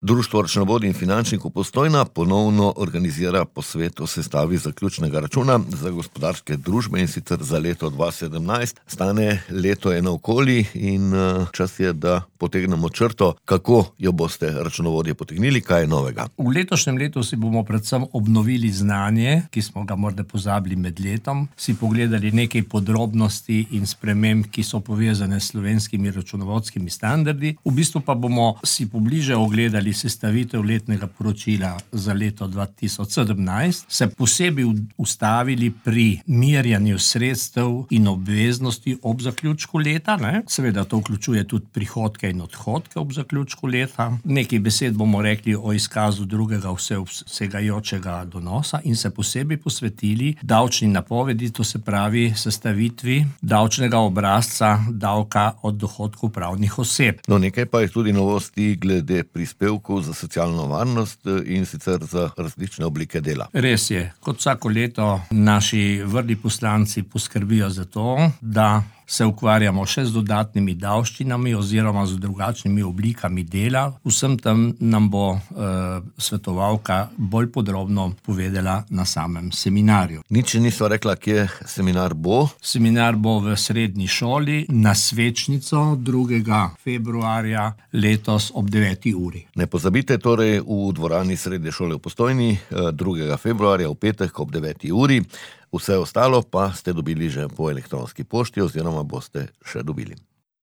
Društvo računovodij in finančnikov Postojna ponovno organizira posvet o sestavi zaključnega računa za gospodarske družbe, in sicer za leto 2017. Stane leto je naokoli in čas je, da potegnemo črto, kako jo boste računovodje potegnili, kaj je novega. V letošnjem letu si bomo predvsem obnovili znanje, ki smo ga morda pozabili med letom, si pogledali nekaj podrobnosti in sprememb, ki so povezane s slovenskimi računovodskimi standardi. V bistvu pa bomo si pobliže ogledali sestavitev letnega poročila za leto 2017, se posebej ustavili pri merjanju sredstev in obveznosti ob zaključku leta, Seveda to vključuje tudi prihodke in odhodke ob zaključku leta. Nekaj besed bomo rekli o izkazu drugega vsegajočega donosa in se posebej posvetili davčni napovedi, to se pravi sestavitvi davčnega obrazca davka od dohodkov pravnih oseb. No, nekaj pa je tudi novosti glede prispevkov za socialno varnost in sicer za različne oblike dela. Res je, kot vsako leto naši vrli poslanci poskrbijo za to, da se ukvarjamo še z dodatnimi davščinami oziroma z drugačnimi oblikami dela. Vsem tam nam bo svetovalka bolj podrobno povedala na samem seminarju. Nič nisva rekla, kje seminar bo. Seminar bo v srednji šoli na Svečnico 2. februarja letos ob 9. uri. Ne pozabite, torej v dvorani srednje šole v Postojni 2. februarja v petek ob 9. uri. Vse ostalo pa ste dobili že po elektronski pošti oziroma boste še dobili.